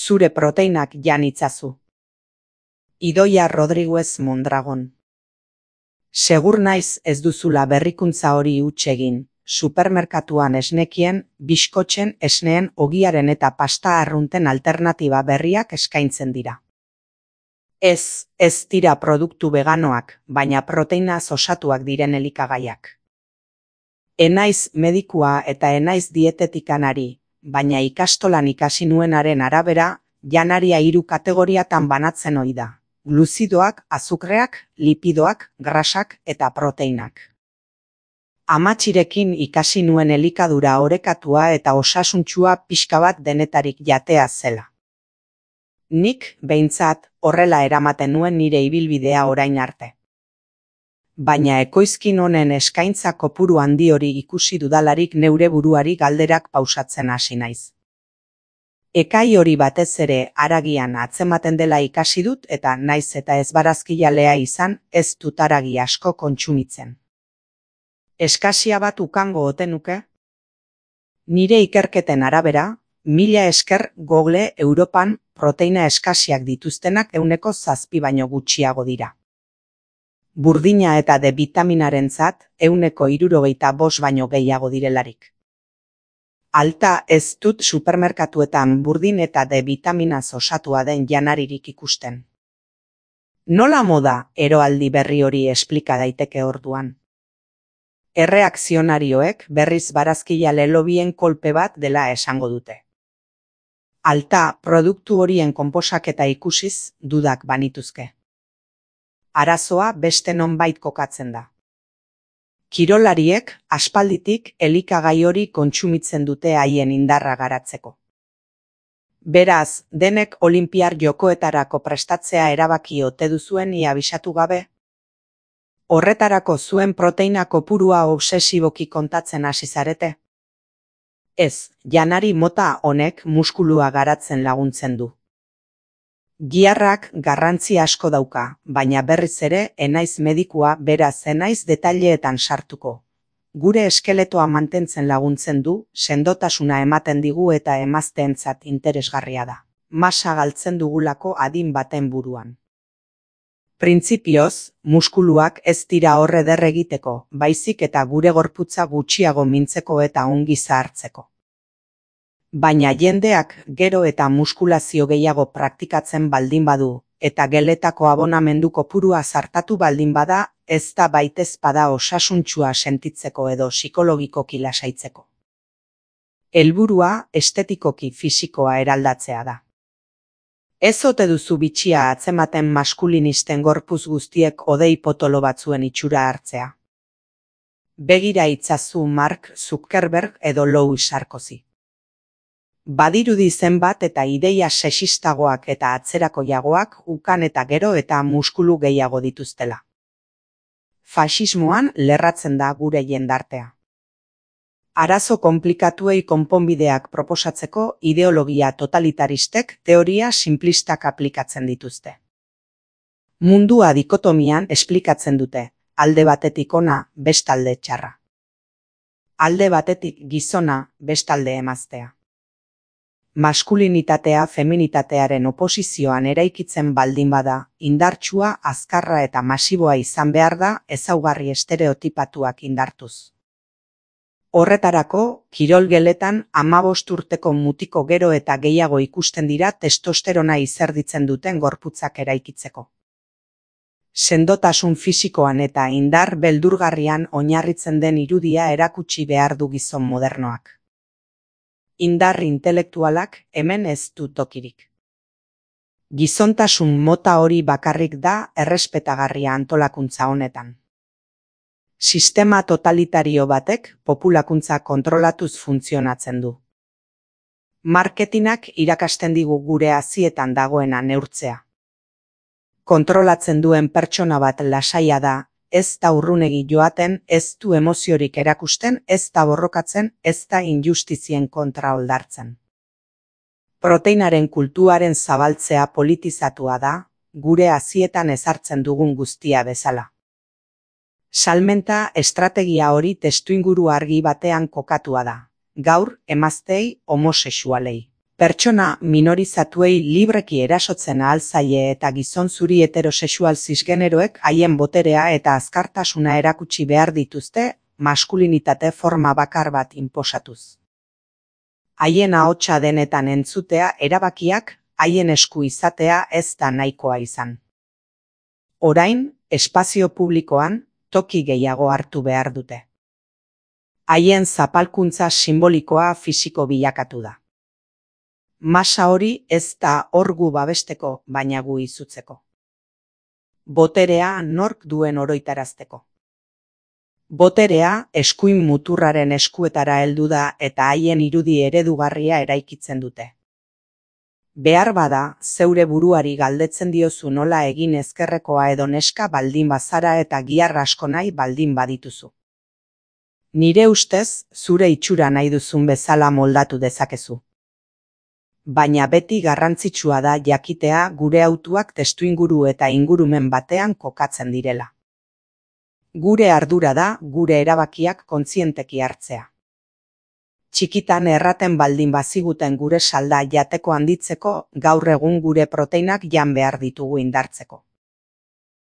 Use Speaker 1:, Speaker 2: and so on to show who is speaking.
Speaker 1: Zure proteinak jan itzazu. Idoia Rodriguez Mondragon. Segur naiz ez duzula berrikuntza hori huts egin, supermerkatuan esnekien, biskotzen, esneen, ogiaren eta pasta arrunten alternatiba berriak eskaintzen dira. Ez dira produktu veganoak, baina proteinaz osatuak diren elikagaiak. Enaiz medikua eta enaiz dietetikanari, baina ikastolan ikasi nuenaren arabera, janaria 3 kategoriatan banatzen ohi da. Gluzidoak, azukreak, lipidoak, grasak eta proteinak. Amatxirekin ikasi nuen elikadura orekatua eta osasuntsua pixka bat denetarik jatea zela. Nik, behintzat, horrela eramaten nuen nire ibilbidea orain arte. Baina ekoizkin honen eskaintza kopuru handi hori ikusi dudalarik neure buruari galderak pausatzen hasi naiz. Ekai hori batez ere haragian atzematen dela ikasi dut eta naiz eta ez barazkijalea izan ez dut haragi asko kontsumitzen. Eskasia bat ukango ote nuke? Nire ikerketen arabera, 1000 esker Google Europan proteina eskasiak dituztenak 7% baino gutxiago dira. Burdina eta D bitaminarentzat 75% baino gehiago direlarik. Alta ez dut supermerkatuetan burdin eta D bitaminaz osatua den janaririk ikusten. Nola moda eroaldi berri hori esplika daiteke orduan? Erreakzionarioek berriz barazkijale lobien kolpe bat dela esango dute. Alta produktu horien konposaketa ikusiz dudak banituzke. Arazoa beste nonbait kokatzen da. Kirolariek aspalditik elikagai hori kontsumitzen dute haien indarra garatzeko. Beraz, denek olinpiar jokoetarako prestatzea erabaki ote duzuen ia abisatu gabe? Horretarako zuen proteina kopurua obsesiboki kontatzen hasi zarete? Ez, janari mota honek muskulua garatzen laguntzen du. Giharrak garrantzi asko dauka, baina berriz ere enaiz medikua beraz enaiz detaileetan sartuko. Gure eskeletoa mantentzen laguntzen du, sendotasuna ematen digu eta emazteentzat interesgarria da. Masa galtzen dugulako adin baten buruan. Printzipioz, muskuluak ez dira horre der egiteko, baizik eta gure gorputza gutxiago mintzeko eta ongi zahartzeko. Baina jendeak gero eta muskulazio gehiago praktikatzen baldin badu, eta geletako abonamendu kopurua zartatu baldin bada, ez da baitezpada osasuntsua sentitzeko edo psikologikoki lasaitzeko. Helburua estetikoki fisikoa eraldatzea da. Ez ote duzu bitxia atzematen maskulinisten gorpuz guztiek odei potolo batzuen itxura hartzea. Begira itzazu Mark Zuckerberg edo Louis Sarkozy. Badirudi zenbat eta ideia sexistagoak eta atzerakoiagoak ukan eta gero eta muskulu gehiago dituztela. Faxismoan lerratzen da gure jendartea. Arazo konplikatuei konponbideak proposatzeko ideologia totalitaristek teoria simplistak aplikatzen dituzte. Mundua dikotomian esplikatzen dute, alde batetik ona, bestalde txarra. Alde batetik gizona, bestalde emaztea. Maskulinitatea feminitatearen oposizioan eraikitzen baldin bada, indartsua, azkarra eta masiboa izan behar da ezaugarri estereotipatuak indartuz. Horretarako, kirolgeletan 15 urteko mutiko gero eta gehiago ikusten dira testosterona izerditzen duten gorputzak eraikitzeko. Sendotasun fisikoan eta indar beldurgarrian oinarritzen den irudia erakutsi behar du gizon modernoak. Indar intelektualak hemen ez du tokirik. Gizontasun mota hori bakarrik da errespetagarria antolakuntza honetan. Sistema totalitario batek populakuntza kontrolatuz funtzionatzen du. Marketinak irakasten digu gure hazietan dagoena neurtzea. Kontrolatzen duen pertsona bat lasaia da, ez da urrunegi joaten, ez du emoziorik erakusten, ez da borrokatzen, ez da injustizien kontra oldartzen. Proteinaren kultuaren zabaltzea politizatua da, gure hazietan ezartzen dugun guztia bezala. Salmenta estrategia hori testuinguru argi batean kokatua da. Gaur emazteei homosexualei. Pertsona minorizatuei libreki erasotzen ahal zaie eta gizon zuri heterosexual cisgeneroek haien boterea eta azkartasuna erakutsi behar dituzte maskulinitate forma bakar bat inposatuz. Haien ahotsa denetan entzutea, erabakiak haien esku izatea ez da nahikoa izan. Orain, espazio publikoan, toki gehiago hartu behar dute. Haien zapalkuntza simbolikoa fisiko bilakatu da. Masa hori ez da hor gu babesteko, baina gu izutzeko. Boterea nork duen oroitarazteko. Boterea eskuin muturraren eskuetara heldu da eta haien irudi eredugarria eraikitzen dute. Behar bada, zeure buruari galdetzen diozu nola egin ezkerrekoa edo neska baldin bazara eta gihar asko nahi baldin badituzu. Nire ustez, zure itxura nahi duzun bezala moldatu dezakezu. Baina beti garrantzitsua da jakitea gure hautuak testuinguru eta ingurumen batean kokatzen direla. Gure ardura da gure erabakiak kontzienteki hartzea. Txikitan erraten baldin baziguten gure salda jateko handitzeko, gaur egun gure proteinak jan behar ditugu indartzeko.